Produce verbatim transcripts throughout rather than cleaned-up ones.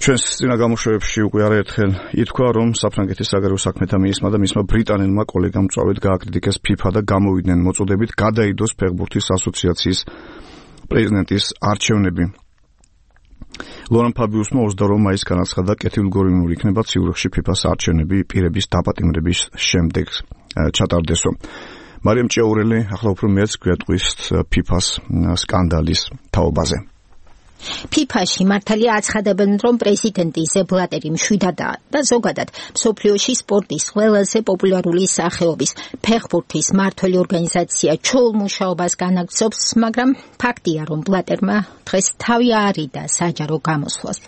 ჩვენს წინა გამოშვებებში უკვე არაერთხელ ითქვა, რომ საფრანგეთის საგარეო საქმეთა მინისტრმა და მისმა ბრიტანელმა კოლეგამ წვავით გააკრიტიკეს ფიფა და გამოვიდნენ მოწოდებით გადაიდოს ფეხბურთის ასოციაციის პრეზიდენტის არჩევნები. ლორან ფაბიუსმა ოცდაორი მაისს განაცხადა, კეთილგონივრული იქნება ციურიხში ფიფას არჩევნები პირების დაპატიმრების შემდეგ ჩატარდესო. მარიამ ჭიაურელი ახლა უფრო მეც გვეტყვის ფიფას სკანდალის თაობაზე. ფიფაში მართალია აცხადებენ, რომ პრეზიდენტი სეპ ბლატერი მშვიდადაა და ზოგადად მსოფლიოში სპორტის ყველაზე პოპულარული სახეობის ფეხბურთის მმართველი ორგანიზაცია ჩოულ მუშაობას განაგრძობს, მაგრამ ფაქტია, რომ ბლატერმა დღეს თავი არიდა საჯარო გამოსვლას.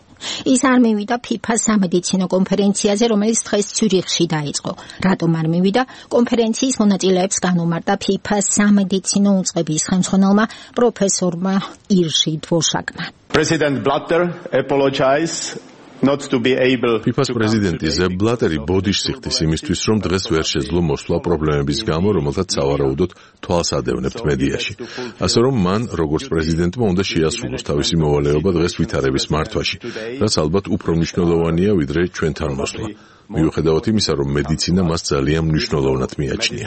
ის არ მივიდა ფიფას სამედიცინო კონფერენციაზე, რომელიც დღეს ციურიხში დაიწყო. რატომ არ მივიდა? კონფერენციის მონაწილეებს განუმარტა ფიფას სამედიცინო უწყების ხელმძღვანელმა პროფესორმა ირჟი დვორშაკმა. President Blatter apologized not to be able ფიფას პრეზიდენტი ზეპ ბლატერი ბოდიშს იხდის იმისთვის, რომ დღეს ვერ შეძლო მოსვლა პრობლემების გამო, რომელთაც სავარაუდოდ თვალს ადევნებთ მედიაში. ასე რომ მან, როგორც პრეზიდენტმა, უნდა შეასრულოს თავისი მოვალეობა დღეს ვითარების მართვაში, რაც ალბათ უფრო მნიშვნელოვანია, ვიდრე ჩვენთან მოსვლა. მიუხედავად იმისა, რომ მედიცინა მას ძალიან მნიშვნელოვნად მიაჩნია.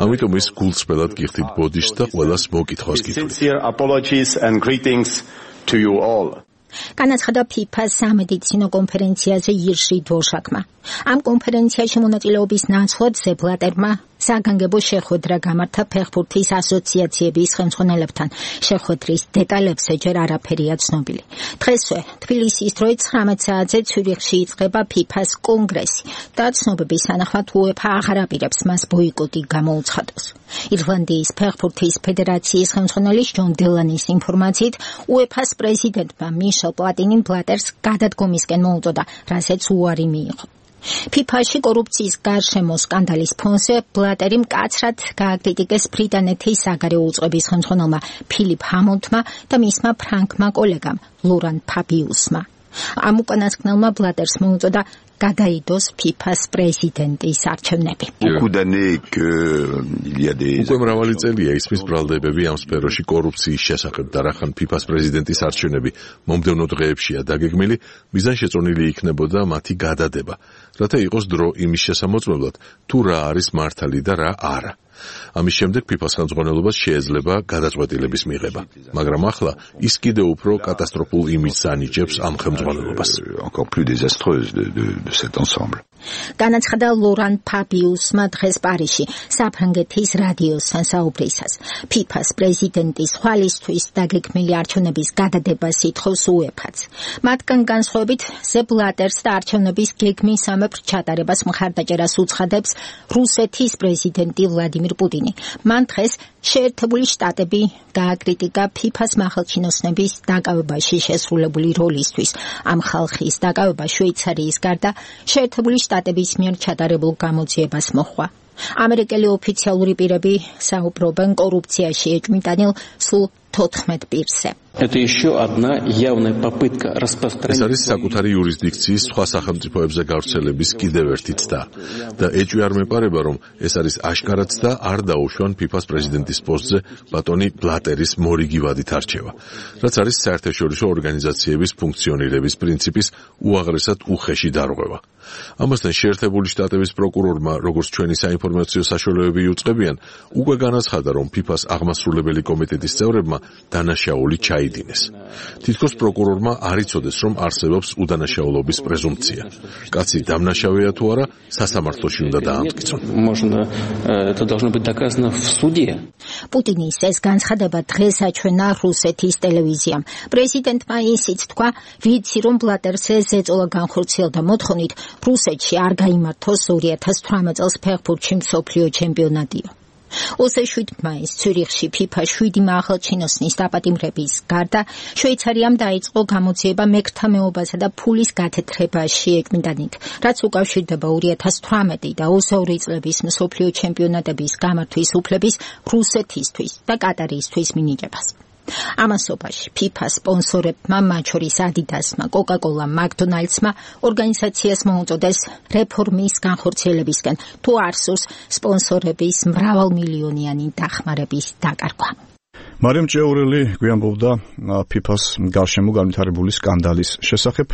ამიტომ ის გულწრფელად გიხდით ბოდიშს და ყველას მოკითხვას გითხრით. To you all. განაცხადა ფიფას სამედიცინო კონფერენციაზე ირჟი დვორშაკმა. ამ კონფერენციაში მონაწილეობის ნაცვლად სეპ ბლატერმა საგანგებო შეხვედრა გამართა ფეხბურთის ასოციაციების ხელმძღვანელებთან. შეხვედრის დეტალებზე ჯერ არაფერია ცნობილი. დღესვე თბილისის დროით ცხრამეტ საათზე ციურიხში იწყება ფიფას კონგრესი და ცნობების თანახმად უეფა აღარ აპირებს მას ბოიკოტი გამოუცხადოს. ირლანდიის ფეხბურთის ფედერაციის ხელმძღვანელის ჯონ დელანის ინფორმაციით, უეფას პრეზიდენტმა მიშელ პლატინიმ ბლატერს გადადგომისკენ მოუწოდა, რასაც უარი მიიღო. ფიფაში კორუფციის გარშემო სკანდალის ფონზე ბლატერი მკაცრად გააკრიტიკეს ბრიტანეთის საგარეო უწყების ხელმძღვანელმა ფილიპ ჰამონდმა და მისმა ფრანგმა კოლეგამ ლორან ფაბიუსმა. ამ უკანასკნელმა ბლატერს მოუწოდა გადაიდოს ფიფას პრეზიდენტის არჩევნები. უკვე მრავალი წელია ისმის ბრალდებები ამ სფეროში კორუფციის შესახებ და რახან ფიფას პრეზიდენტის არჩევნები მომდევნო დღეებშია დაგეგმილი, მიზანშეწონილი იქნებოდა მათი გადადება, რათა იყოს დრო იმის შესამოწმებლად, თუ რა არის მართალი და რა არა. ამის შემდეგ ფიფას ხელმძღვანელობას შეეძლება გადაწყვეტილების მიღება, მაგრამ ახლა ის კიდევ უფრო კატასტროფულ იმიჯს ანიჭებს ამ ხელმძღვანელობას. განაცხადა ლორან ფაბიუსმა დღეს პარიზში საფრანგეთის რადიოსთან საუბრისას. ფიფას პრეზიდენტის ხვალისთვის დაგეგმილი არჩევნების გადადებას ითხოვს უეფაც. მათგან განსხვავებით სეპ ბლატერს და არჩევნების გეგმისამებრ ჩატარებას მხარდაჭერას უცხადებს რუსეთის პრეზიდენტი ვლადიმირ პუტინი. მან დღეს შეერთებული შტატები გააკრიტიკა ფიფას მახალჩინოსნების დაკავებაში შესრულებული როლისთვის. ამ ხალხის დაკავება შვეიცარიის გარდა შეერთებული შტატების მიერ ჩატარებულ გამოძიებას მოჰყვა. ამერიკელი ოფიციალური პირები საუბრობენ კორუფციაში ეჭვმიტანილ სულ თოთხმეტ პირზე. ეს არის საკუთარი იურისდიქციის სხვა სახელმწიფოებზე გავრცელების კიდევ ერთი ცდა და ეჭვი არ მეპარება, რომ ეს არის აშკარად და არ დაუშვან ფიფას პრეზიდენტის პოსტზე ბატონი ბლატერის მორიგი ვადით არჩევა, რაც არის საერთაშორისო ორგანიზაციების ფუნქციონირების პრინციპის უაღრესად უხეში დარღვევა. ამასთან შეერთებული შტატების პროკურორმა, როგორც ჩვენი საინფორმაციო საშუალებები იუწყებიან, უკვე განაცხადა, რომ ფიფას აღმასრულებელი კომიტეტის წევრებმა დანაშაული ჩაიდინეს. თითქოს პროკურორმა არ იცოდეს, რომ არსებობს უდანაშაულობის პრეზუმპცია. კაცი დამნაშავეა თუ არა, სასამართლოში უნდა დაამტკიცონ. პუტინის ეს განცხადება დღეს აჩვენა რუსეთის ტელევიზიამ. პრეზიდენტმა ისიც თქვა, ვიცი რომ ბლატერს ეს ეწოლა განხორციელდა მოთხოვნით, რუსეთში არ გაიმართოს ორი ათას თვრამეტ წელს ფეხბურთში მსოფლიო ჩემპიონატიო. ოცდაშვიდ მაისს ციურიხში ფიფა შვიდი მაღალჩინოსნის დაპატიმრების გარდა შვეიცარიამ დაიწყო გამოძიება მეკთა მეობასა და ფულის გათეთრებაში ეჭვმიტანით, რაც უკავშირდება ორი ათას თვრამეტი და ოცდაორი წლების მსოფლიო ჩემპიონატების გამართვის უფლების რუსეთისთვის და კატარისთვის მინიჭებას. ამასობაში ფიფას სპონსორებმა, მათ შორის ადიდასმა, კოკა-კოლამ, მაკდონალდსმა ორგანიზაციას მოუწოდეს რეფორმის განხორციელებისკენ, თუ არ სურს სპონსორების მრავალმილიონიანი დახმარების დაკარგვა. მარიამ ჭიაურელი გვიამბობდა ფიფას გარშემო განვითარებული სკანდალის შესახებ.